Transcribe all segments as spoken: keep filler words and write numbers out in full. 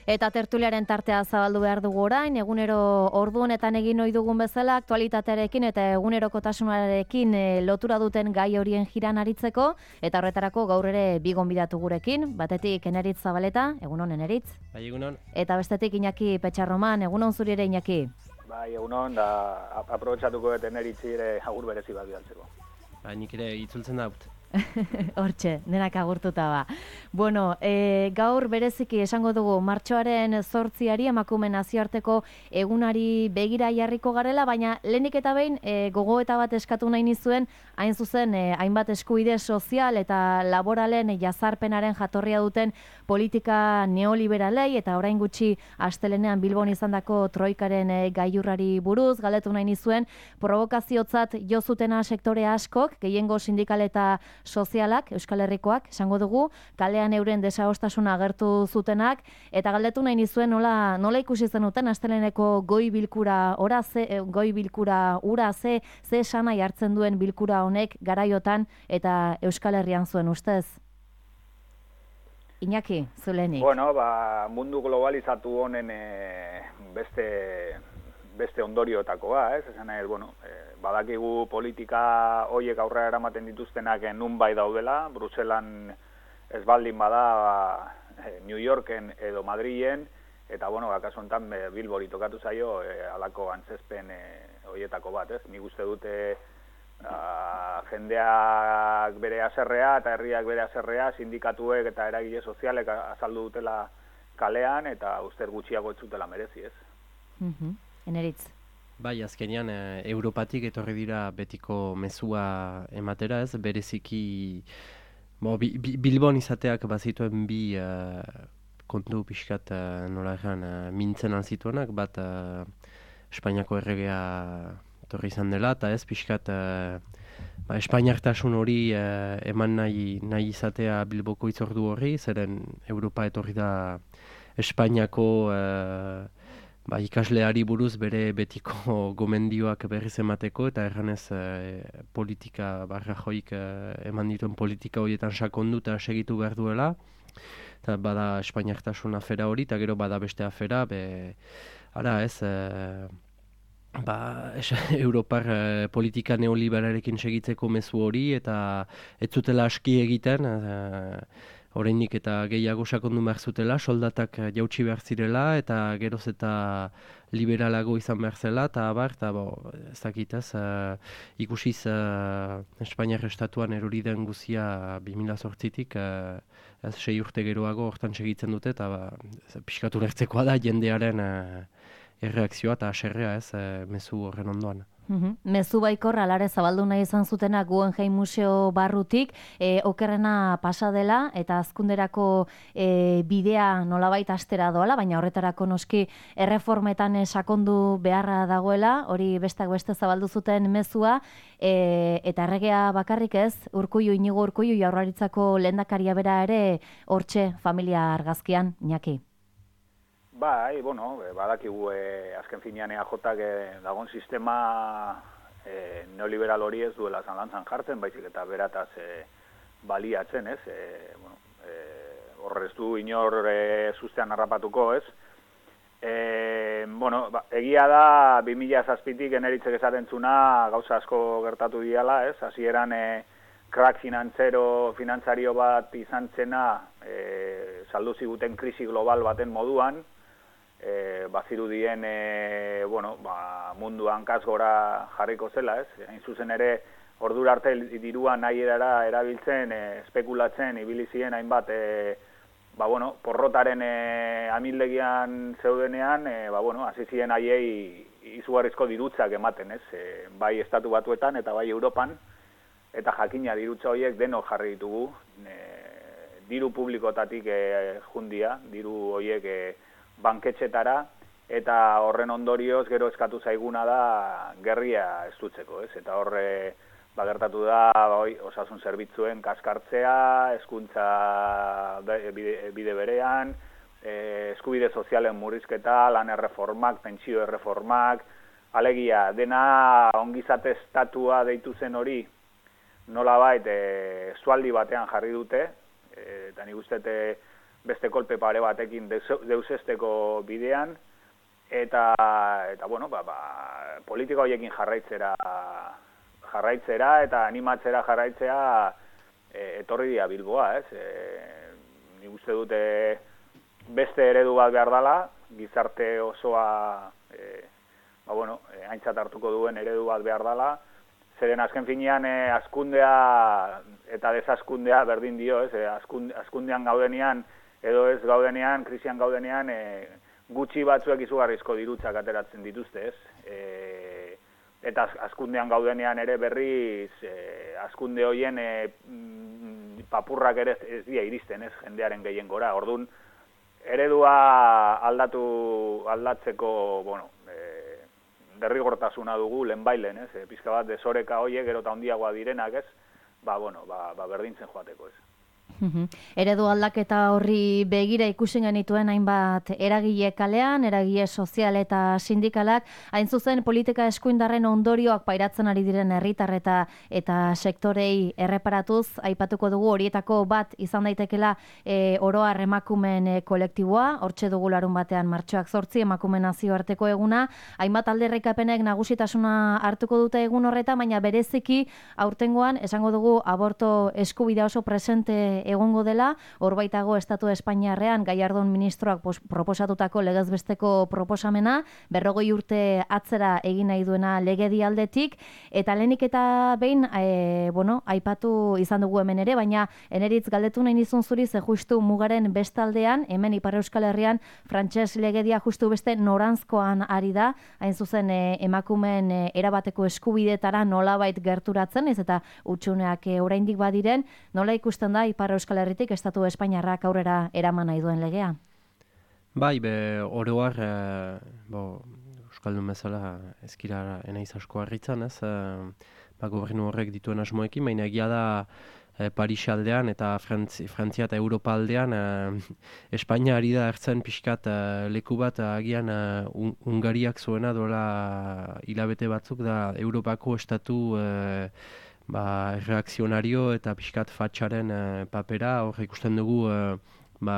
Eta tertuliaren tartea zabaldu behar dugu orain, egunero ordu honetan egin ohi dugun bezala, aktualitatearekin eta egunerokotasunarekin e, lotura duten gai horien jiran aritzeko, eta horretarako gaur ere bi gonbidatu gurekin, batetik Eneritz Zabaleta, egunon Eneritz. Bai, egunon. Eta bestetik Iñaki Petxarroman, egunon zuri ere Iñaki. Bai, egunon, da aprobetxatuko dut Eneritzi ere agur berezi bat bidaltzeko. Ba, nik ere itzultzen daut. Hortxe, denak agurtuta ba. Bueno, e, gaur bereziki esango dugu martxoaren zortziari emakume nazioarteko egunari begira jarriko garela, baina lehenik eta behin e, gogoeta bat eskatu nahi nizuen, hain zuzen e, hainbat eskubide sozial eta laboralen jazarpenaren jatorria duten politika neoliberalei eta orain gutxi astelenean Bilbon izandako troikaren e, gailurrari buruz, galdetu nahi nizuen, provokaziotzat jo zutena sektore askok, gehiengo sindikal eta sozialak, Euskal Herrikoak, esango dugu, kalean euren desadostasuna agertu zutenak, eta galdetu nahi nizuen nola, nola ikusi zenuten asteleneko goi bilkura ora ze, goi bilkura ura ze, ze esanai hartzen duen bilkura honek garaiotan eta Euskal Herrian zuen ustez? Iñaki, zulenik. Bueno, ba, mundu globalizatu honen e, beste... beste ondorioetakoa, ez? Esan nahi, bueno, eh, badakigu politika hoiek aurrera eramaten dituztenak nun bai daudela, Bruselan ez baldin bada eh, New Yorken edo Madrilen, eta, bueno, akaso honetan eh, Bilbori tokatu zaio eh, alako antzezpen eh, hoietako bat, ez? Nik uste dute ah, jendeak bere haserrea eta herriak bere haserrea, sindikatuek eta eragile sozialek azaldu dutela kalean, eta uste gutxiago ez zutela merezi, ez? Mhm. Eneritz. Bai, azkenean e, Europatik etorri dira betiko mezua ematera, ez? Bereziki bo, bi, bi, Bilbon izateak bazituen bi uh, kontu pixkat uh, nola egan uh, mintzen alzituenak, bat uh, Espainiako erregea etorri izan dela, eta ez pixkat uh, ba, Espainiartasun hori uh, eman nahi, nahi izatea Bilboko itzordu horri, zeren Europa etorri da Espainiako uh, Ba, ikasleari buruz bere betiko gomendioak berriz emateko eta erranez e, politika, barra joik e, eman dituen politika horietan sakondu eta segitu behar duela. Eta bada Espainiartasun afera hori eta gero bada beste afera, be, ara ez, e, ba, es, Europar e, politika neoliberarekin segitzeko mezu hori eta ez zutela aski egiten, e, Oraindik eta gehiago sakondu behar zutela, soldatak jautsi behar zirela eta geroz eta liberalago izan behar zela, eta abar, eta bo, ez dakit ez, uh, ikusiz uh, Espainiar estatuan erori den guzia bi mila zortzitik, uh, ez sei urte geroago hortan segitzen dute, eta ba, pixkatu lertzekoa da jendearen uh, erreakzioa eta aserrea ez, uh, mezu horren ondoan. Uhum. Mezu baikor alare zabaldu nahi izan zutenak Guggenheim Museo barrutik, e, okerrena pasa dela eta azkunderako e, bidea nolabait astera doala, baina horretarako noski erreformetan sakondu beharra dagoela, hori bestak beste zabaldu zuten mezua, e, eta erregea bakarrik ez, Urkullu, Inigo Urkullu Jaurlaritzako lehendakaria bera ere hortxe familia argazkian, Iñaki. Bai, bueno, badakigu eh, azken finean E A Jak eh, dagoen sistema eh, neoliberal hori ez duela zalantzan jartzen, baizik eta berataz eh, baliatzen, ez? Eh, bueno, eh, horrez du inor eh, sustean harrapatuko, ez? Eh, bueno, ba, egia da bi mila zazpitik Eneritzek esaten zuna gauza asko gertatu diala, ez? Hasieran eh, crack finantzero, finantzario bat izan zena eh, saldu ziguten krisi global baten moduan, E, bazirudien e, bueno, ba, munduan kasgora jarriko zela, ez? Hain zuzen ere, ordura arte dirua nahi edara erabiltzen, e, espekulatzen, ibilizien hainbat, e, ba, bueno, porrotaren e, amildegian zeudenean, e, ba, bueno, hasi ziren haiei izugarrizko dirutzak ematen, ez? E, bai estatu batuetan eta bai Europan, eta jakina dirutza horiek denok jarri ditugu, e, diru publikotatik e, jundia, diru horiek e, banketxetara, eta horren ondorioz gero eskatu zaiguna da gerria estutzeko, ez? Eta horre bagertatu da bai, osasun zerbitzuen kaskartzea, hezkuntza bide, bide berean, eh, eskubide sozialen murrizketa, lan erreformak, pentsio erreformak, alegia, dena ongizate estatua deitu zen hori, nolabait eh, zualdi batean jarri dute, eh, eta nik uste beste kolpe pare batekin deusesteko bidean, eta, eta bueno, ba, ba, politika horiekin jarraitzera, jarraitzera eta animatzera jarraitzea e, etorri dira Bilboa, ez? E, nik uste dute beste eredu bat behar dela, gizarte osoa e, ba, bueno, e, aintzat hartuko duen eredu bat behar dela, zeren azken finean e, azkundea eta desaskundea berdin dio, ez? E, azkund, azkundean gaudenean edo ez gaudenean, krisian gaudenean, e, gutxi batzuek izugarrizko dirutzak ateratzen dituzte, ez? E, eta azkundean gaudenean ere berriz, e, azkunde hoien e, papurrak ere ez dira iristen, ez? Jendearen gehien gora. Orduan, eredua aldatu, aldatzeko, bueno, e, derrigortasuna dugu lehenbailen, ez? E, pizka bat desoreka hoiek gero eta handiagoa direnak, ez? Ba, bueno, ba, ba berdintzen joateko, ez? Eredu aldaketa horri begira ikusi genituen hainbat eragile kalean, eragile sozial eta sindikalak, hain zuzen politika eskuindarren ondorioak pairatzen ari diren herritar eta eta sektorei erreparatuz, aipatuko dugu horietako bat izan daitekela e, oroar emakumen e, kolektiboa, hortxe dugu larun batean martxoak zortzi emakumen nazioarteko eguna, hainbat alderrikapenek nagusitasuna hartuko dute egun horreta, baina bereziki aurtengoan esango dugu aborto eskubidea oso presente egongo dela, hor baitago Estatu Espainiarrean Gallardón ministroak proposatutako legezbesteko proposamena, berrogei urte atzera egin nahi duena legedi aldetik, eta lehenik eta behin, e, bueno, aipatu izan dugu hemen ere, baina eneritz galdetu nahi nizun zuri, ze justu mugaren bestaldean, hemen Ipar Euskal Herrian, frantses legedia justu beste noranzkoan ari da, hain zuzen e, emakumen e, erabateko eskubidetara nolabait gerturatzen, ez eta utxuneak e, oraindik badiren, nola ikusten da Ipar Euskal Herritik Estatu Espainiarrak aurrera eraman nahi duen legea? Bai, be, oroar, e, bo, Euskaldun bezala ezkira enaiz asko harritzen, ez? E, ba, gobernu horrek dituen asmoekin, baina egia da e, Paris aldean eta Frantzi, Frantzia eta Europa aldean e, Espainia ari da hartzen pixkat e, leku bat agian e, un, Ungariak zuena dola hilabete batzuk da Europako estatu e, ba, reakzionario eta pixkat fatxaren e, papera, hor ikusten dugu e, ba,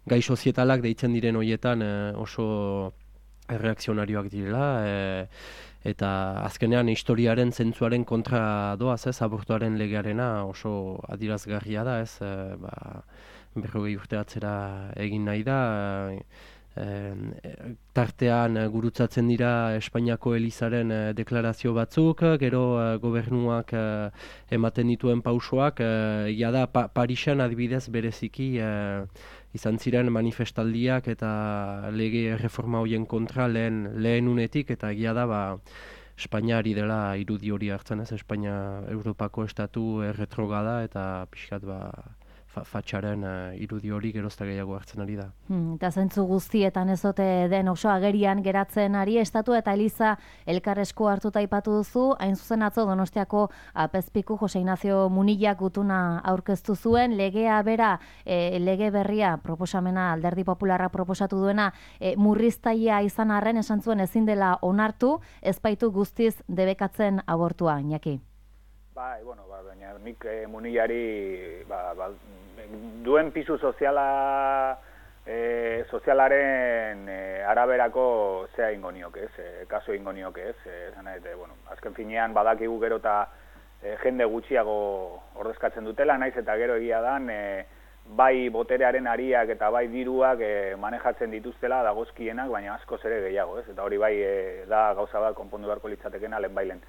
gai sozietalak deitzen diren horietan e, oso reakzionarioak direla, e, eta azkenean historiaren zentzuaren kontra doaz, ez, abortuaren legearena oso adirazgarria da, ez, e, ba, berrogei urte atzera egin nahi da, e, E, tartean gurutzatzen dira Espainiako Elizaren e, deklarazio batzuk, gero e, gobernuak e, ematen dituen pausoak, e, ja da pa, Parisen adibidez bereziki e, izan ziren manifestaldiak eta lege reforma horien kontra lehen, lehen unetik, eta egia da ba, Espainia ari dela irudi hori hartzen, ez, Espainia Europako estatu erretrogada eta pixkat ba, fatxaren uh, irudi hori gerozta gehiago hartzen ari da. Hmm, eta zentzu guztietan ez dute den oso agerian geratzen ari, Estatu eta Eliza elkarresko hartuta aipatu duzu, hain zuzen atzo Donostiako Apezpiku Jose Ignacio Munillak gutuna aurkeztu zuen, legea bera, e, lege berria proposamena Alderdi Popularra proposatu duena, e, murriztaia izan arren esan zuen ezin dela onartu, ez baitu guztiz debekatzen abortua, Iñaki. Bai, bueno, ba, baina nik eh, Munillari ba, ba, duen pisu soziala eh, sozialaren eh, araberako zea ingo nioke, ez, eh, kaso ingo nioke, ez, eh, zanete, bueno, azken finean badakigu gero eta eh, jende gutxiago ordezkatzen dutela, naiz eta gero egia dan, eh, bai boterearen ariak eta bai diruak eh, manejatzen dituztela dagozkienak, baina askoz ere gehiago, ez, eta hori bai eh, da gauza bat konpondu beharko litzatekena lehenbailen.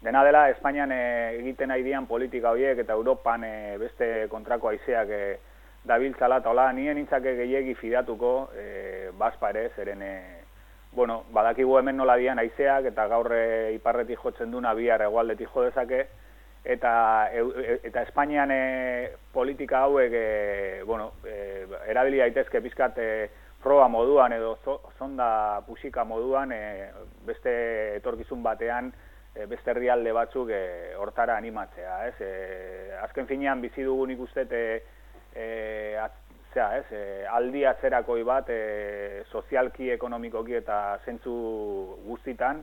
Dena dela, Espainian e, egiten nahi dian politika horiek eta Europan e, beste kontrako haizeak e, dabiltzala, eta hola, nien nintzake gehiegi fidatuko, e, bazpa ere, zeren, e, bueno, badakigu hemen nola dian haizeak, eta gaur e, iparretik jotzen duna bihar hegoaldetik jo dezake, eta, e, eta Espainian e, politika hauek, e, bueno, e, erabili daitezke pizkat e, proba moduan edo zo, zonda pusika moduan, e, beste etorkizun batean, E, beste herrialde batzuk e, hortara animatzea, ez? E, azken finean bizi dugu nik uste e, e, at, zera, ez? E, aldi atzerakoi bat e, sozialki, ekonomikoki eta zentzu guztitan,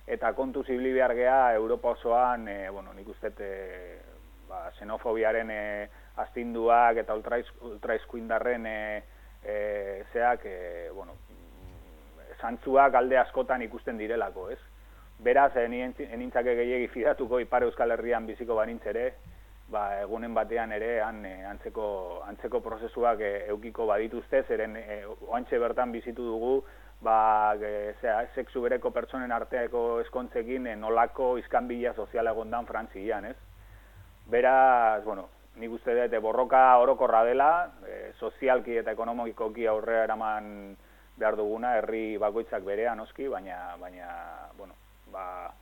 eta kontu zibili behar geha Europa osoan, e, bueno, nik uste e, ba, xenofobiaren e, astinduak eta ultraizkuindarren e, zeak, e, bueno, zantzuak alde askotan ikusten direlako, ez? Beraz, enintzake gehiagi fidatuko Ipar Euskal Herrian biziko banintz ere, ba, egunen batean ere han, e, antzeko, antzeko prozesuak e, eukiko badituzte, zeren e, oantxe bertan bizitu dugu, ba, e, zera, sexu bereko pertsonen arteako eskontzekin e, nolako iskanbila soziala egondan Frantzian, ez? Beraz, bueno, nik uste dut borroka orokorra dela, e, sozialki eta ekonomikoki aurrera eraman behar duguna, herri bakoitzak berea noski, baina, baina bueno, ba,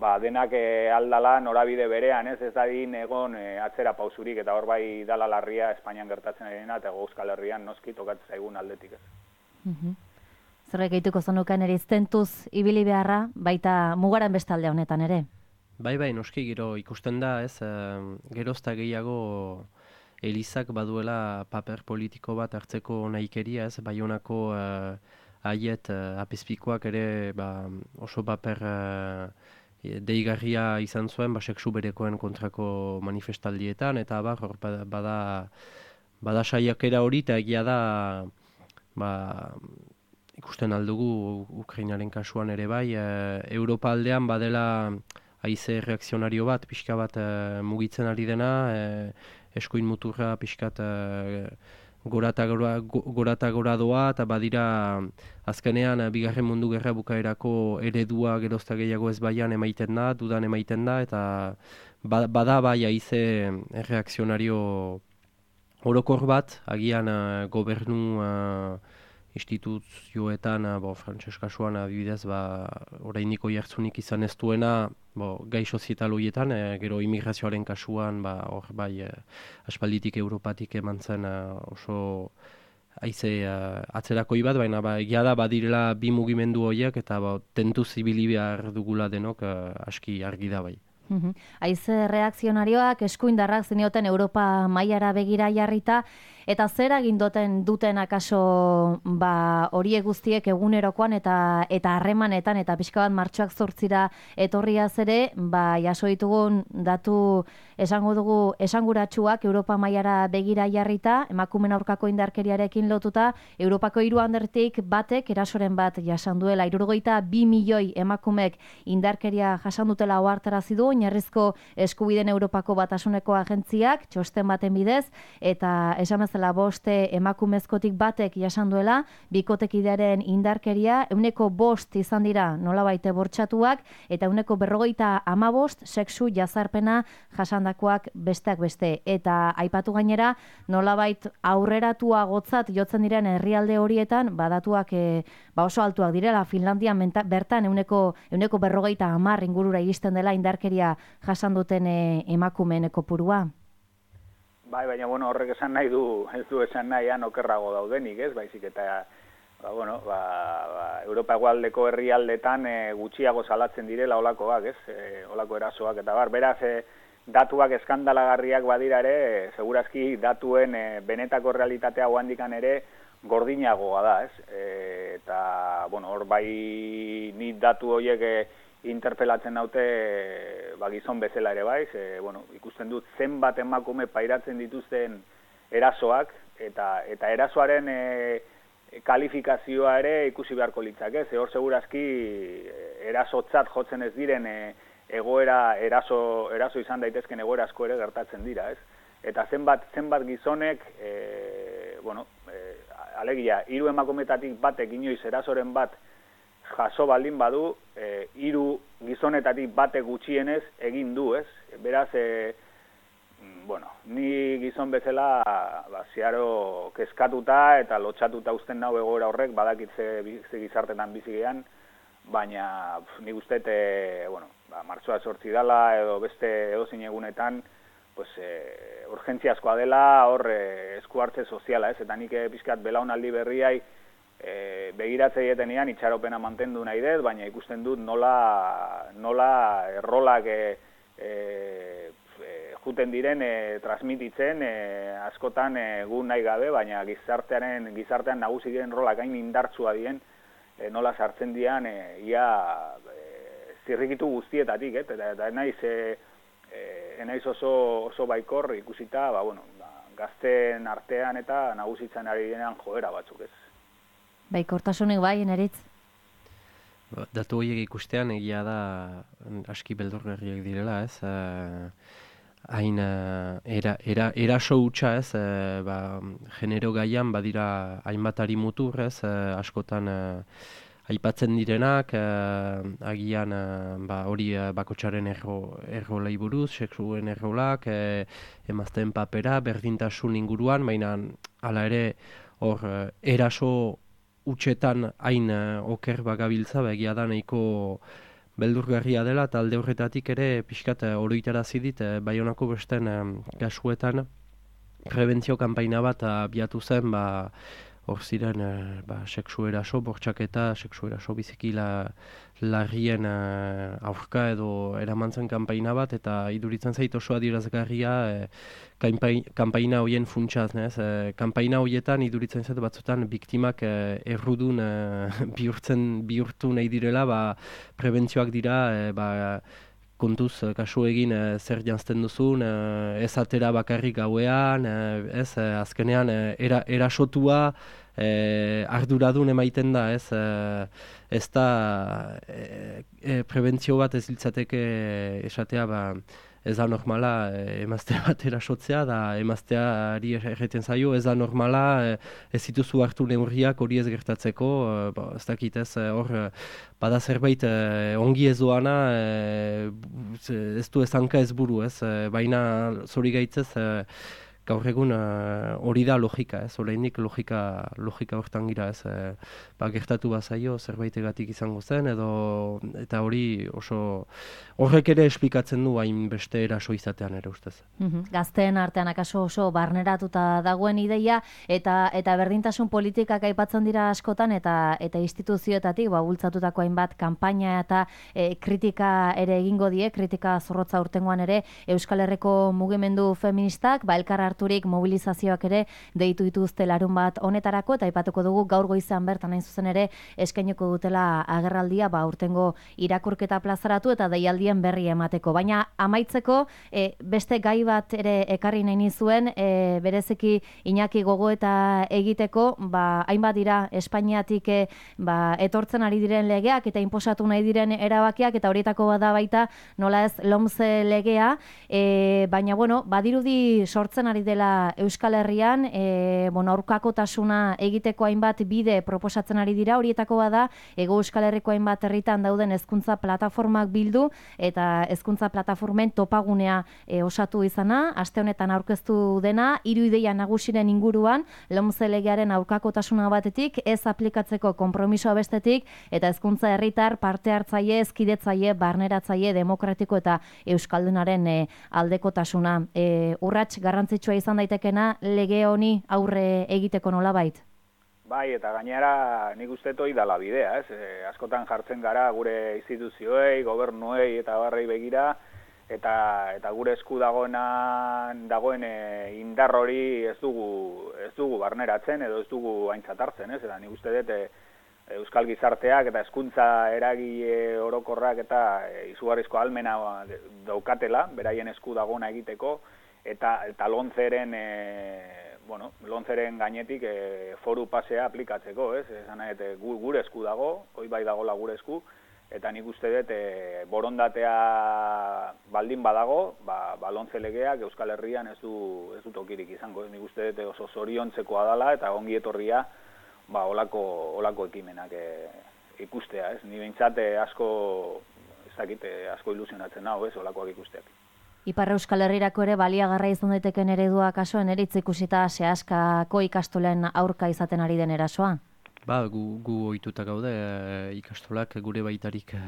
ba denak e, aldala norabide berean, ez ez dadin egon e, atzera pausurik, eta hor bai dala larria Espainian gertatzen arena, eta Euskal Herrian noski tokatzen zaigun aldetik, ez. Mm-hmm. Zerrek egituko zenuken ere iztentuz ibili beharra, baita mugaren bestalde honetan ere? Bai, bai, noski gero ikusten da, ez, e, gerozta gehiago Elizak baduela paper politiko bat hartzeko nahikeria, ez, Baionako uh, haiet uh, apezpikoak ere ba, oso paper uh, deigarria izan zuen, ba, sexu berekoen kontrako manifestaldietan, eta bar, hor bada, bada saiakera hori, eta egia da, ba, ikusten aldugu Ukrainaren kasuan ere bai, uh, Europa aldean badela haize reakzionario bat, pixka bat uh, mugitzen ari dena, uh, eskuin muturra pixkat uh, gora eta gora, gora, gora doa, eta badira azkenean uh, bigarren mundu gerra bukaerako eredua gerozta gehiago ez baian emaiten da, dudan emaiten da, eta bada bai haize reakzionario orokor bat, agian uh, gobernu uh, instituzioetan, bo, frantses kasuan adibidez, ba, orainiko jartzunik izan ez duena, bo, gai sozietal horietan, e, gero immigrazioaren kasuan, ba, hor bai, e, aspalditik Europatik eman zen e, oso haize e, atzerakoi bat, baina ba, egia da badirela bi mugimendu horiek, eta ba, tentuz ibili behar dugula denok e, aski argi da bai. Haize reakzionarioak eskuindarrak zenioten Europa mailara begira jarrita, eta zer egin duten duten akaso ba, horiek guztiek egunerokoan eta eta harremanetan eta pixka bat martxoak zortzira etorriaz ere, ba, jaso ditugun datu esango dugu esanguratsuak Europa mailara begira jarrita, emakumeen aurkako indarkeriarekin lotuta, Europako hiru alderdik batek erasoren bat jasan duela, hirurogeita bi milioi emakumek indarkeria jasan dutela ohartarazi du oinarrizko eskubideen Europako Batasuneko agentziak txosten baten bidez, eta esan bezala boste emakumezkotik batek jasan duela, bikotekidearen indarkeria ehuneko bost izan dira nolabait bortxatuak, eta ehuneko berrogeita hamabost sexu jazarpena jasandakoak besteak beste. Eta aipatu gainera, nolabait aurreratua gotzat jotzen diren herrialde horietan, badatuak e, ba oso altuak direla, Finlandian menta, bertan ehuneko ehuneko berrogeita hamar ingurura iristen dela indarkeria jasan duten e, emakumeen kopurua. Bai, baina bueno, horrek esan nahi du, ez du esan nahian okerrago daudenik, ez? Baizik eta ba, bueno, ba, ba, Europa hegoaldeko herrialdetan e, gutxiago salatzen direla olakoak, ez? E, olako erasoak eta bar, beraz e, datuak eskandalagarriak badira ere, e, segurazki datuen e, benetako realitatea handikan ere gordinagoa da, ez? E, eta, bueno, hor bai ni datu horiek e, interpelatzen naute ba, gizon bezala ere bai, ze, bueno, ikusten dut zenbat emakume pairatzen dituzten erasoak, eta eta erasoaren e, kalifikazioa ere ikusi beharko litzake, ze hor segurazki erasotzat jotzen ez diren e, egoera eraso, eraso izan daitezken egoera asko ere gertatzen dira, ez? Eta zenbat zenbat gizonek, e, bueno, e, alegia, hiru emakumetatik batek inoiz erasoren bat jaso baldin badu, e, hiru gizonetatik batek gutxienez egin du, ez? Beraz, e, bueno, ni gizon bezala ba, ziaro kezkatuta eta lotxatuta uzten nau egoera horrek, badakit ze, ze gizartetan bizigean, baina pf, nik uste, e, bueno, ba, martxoa sortzi dela edo beste edozein egunetan, pues, e, urgentziazkoa dela hor e, esku hartze soziala, ez? Eta nik e, pixkat belaunaldi berriai E, begiratze dietenean itxaropena mantendu nahi dut, baina ikusten dut nola, nola errolak e, e, e, juten diren e, transmititzen e, askotan egun nahi gabe, baina gizartearen, gizartean nagusi diren rolak hain indartsua dien, e, nola sartzen dian e, ia e, zirrikitu guztietatik, et? eta, eta naiz, e, e, naiz oso, oso baikor ikusita, ba, bueno, ba, gazteen artean eta nagusitzen ari denean joera batzuk ez. Baikortasunik bai, Eneritz? Datu horiek ikustean egia da aski beldurgarriak direla, ez? Hain era, era, eraso hutsa, ez? E, ba, genero gaian badira hainbatari mutur, ez? E, askotan e, aipatzen direnak, e, agian e, ba, hori e, bakotsaren erro, errolei buruz, sexuen errolak, e, emazteen papera, berdintasun inguruan, baina hala ere hor e, eraso utxetan hain uh, oker bagabiltza, egia da nahiko beldurgarria dela, eta alde horretatik ere pixkat uh, oroitarazi dit, uh, Baionako besten um, kasuetan prebentzio kanpaina bat abiatu zen, ba, hor ziren uh, ba, sexu eraso, bortxaketa, sexu eraso biziki la, larrien uh, aurka edo eramantzen kanpaina bat, eta iduritzen zait oso adierazgarria uh, kanpaina horien funtsaz, nez? E, kanpaina horietan iduritzen zait batzutan biktimak e, errudun e, bihurtzen bihurtu nahi direla, ba, prebentzioak dira, e, ba, kontuz kasu egin e, zer janzten duzun, e, ez atera bakarrik gauean, e, ez, e, azkenean e, era, erasotua e, arduradun emaiten da, ez, e, ez da e, e, prebentzio bat ez litzateke esatea, ba, ez da normala eh, emazte bat erasotzea, da emazteari erreten zaio, ez da normala eh, ez dituzu hartu neurriak hori ez gertatzeko, eh, ba, ez dakit ez, hor eh, bada zerbait eh, ongi ez doana, eh, ez du ez hanka ez buru, ez, eh, baina zori gaitzez, eh, gaur egun hori uh, da logika, ez, oraindik logika, logika hortan gira, ez, e, ba, gertatu bazaio zerbaitegatik izango zen, edo, eta hori oso, horrek ere esplikatzen du hain beste eraso izatean ere ustez. Mm-hmm. Gazteen artean akaso oso barneratuta dagoen ideia, eta eta berdintasun politikak aipatzen dira askotan, eta eta instituzioetatik ba, bultzatutako hainbat kanpaina eta e, kritika ere egingo die, kritika zorrotza urtengoan ere Euskal Herriko mugimendu feministak, ba, elkar harturik mobilizazioak ere deitu dituzte larun bat honetarako, eta aipatuko dugu gaur goizean bertan hain zuzen ere eskainiko dutela agerraldia, ba, urtengo irakurketa plazaratu eta deialdien berri emateko. Baina amaitzeko e, beste gai bat ere ekarri nahi nizuen, e, bereziki Iñaki gogoeta egiteko, ba, hainbat dira Espainiatik e, ba, etortzen ari diren legeak eta inposatu nahi diren erabakiak, eta horietako bada baita nola ez LOMCE legea, e, baina bueno, badirudi sortzen ari dela Euskal Herrian, e, bueno, aurkakotasuna egiteko hainbat bide proposatzen ari dira, horietako bada Hego Euskal Herriko hainbat herritan dauden hezkuntza plataformak bildu eta hezkuntza plataformen topagunea e, osatu izana, aste honetan aurkeztu dena, hiru ideia nagusiren inguruan, LOMCE legearen aurkakotasuna batetik, ez aplikatzeko konpromisoa bestetik, eta hezkuntza herritar parte hartzaile, ezkidetzaile, barneratzaile, demokratiko eta euskaldunaren e, aldekotasuna. E, urrats garrantzitsua izan daitekena lege honi aurre egiteko nolabait? Bai, eta gainera nik uste toi dala bidea, ez? E, askotan jartzen gara gure instituzioei, gobernuei eta barrei begira, eta eta gure esku dagoena dagoen e, indar hori ez dugu ez dugu barneratzen edo ez dugu aintzat hartzen, ez? Eta nik uste dut e, Euskal gizarteak eta hezkuntza eragile orokorrak eta e, izugarrizko ahalmena daukatela, beraien esku dagoena egiteko, eta eta LOMCEren e, bueno, LOMCEren gainetik e, foru pasea aplikatzeko, ez? Esan nahi, e, gure esku dago, hoi bai dagola gure esku, eta nik uste dut e, borondatea baldin badago, ba, ba LOMCE legeak Euskal Herrian ez du ez du tokirik izango, ez? Nik uste dut oso zoriontzekoa dela eta ongi etorria ba olako olako ekimenak e, ikustea, ez? Ni behintzat asko ez dakit asko ilusionatzen nau, ez? Olakoak ikusteak. Ipar Euskal Herrirako ere baliagarra izan daiteken eredua kaso Eneritz ikusita sehaskako ikastolen aurka izaten ari den erasoa? Ba, gu, gu ohituta gaude e, ikastolak gure baitarik e,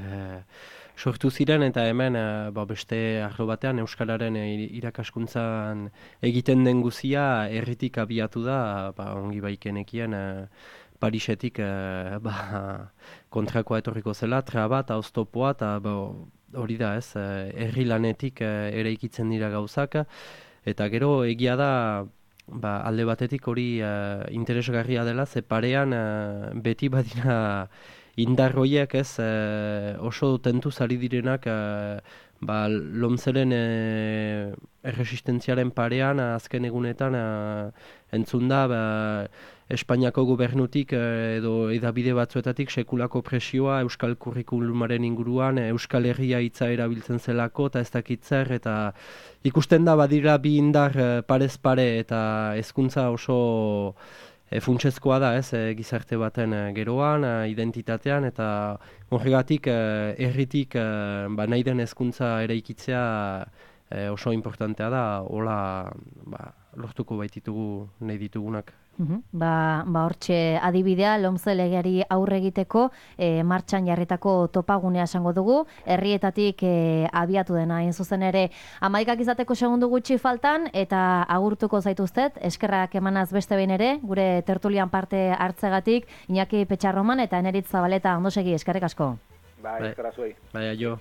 sortu ziren, eta hemen e, ba, beste arlo batean Euskararen e, irakaskuntzan egiten den guzia herritik abiatu da, ba, ongi baikenekien e, Parisetik e, ba, kontrakoa etorriko zela, traba eta oztopoa, eta ba, hori da ez, herri lanetik ere ikitzen dira gauzak, eta gero egia da ba, alde batetik hori uh, interesgarria dela, ze parean uh, beti badira indar horiek ez e, oso tentu zari direnak e, ba, lomzeren e, erresistentziaren parean azken egunetan e, entzun da ba, Espainiako gobernutik edo edabide batzuetatik sekulako presioa Euskal Kurrikulumaren inguruan, Euskal Herria hitza erabiltzen zelako eta ez dakit zer, eta ikusten da badira bi indar parez pare eta hezkuntza oso e, funtsezkoa da ez, e, gizarte baten e, geroan, e, identitatean, eta horregatik e, herritik e, ba, nahi den hezkuntza eraikitzea e, oso importantea da, hola ba, lortuko baititugu nahi ditugunak. Uhum. Ba, ba hortxe adibidea, lomze legeari aurre egiteko e, martxan jarritako topagunea esango dugu, herrietatik e, abiatu dena hain zuzen ere hamaikak izateko segundu gutxi faltan, eta agurtuko zaituztet, eskerrak emanaz beste behin ere, gure tertulian parte hartzegatik, Iñaki Petxarroman eta Eneritz Zabaleta, ondo segi, eskerrik asko. Bai, eskerra zuei. Bai, aio.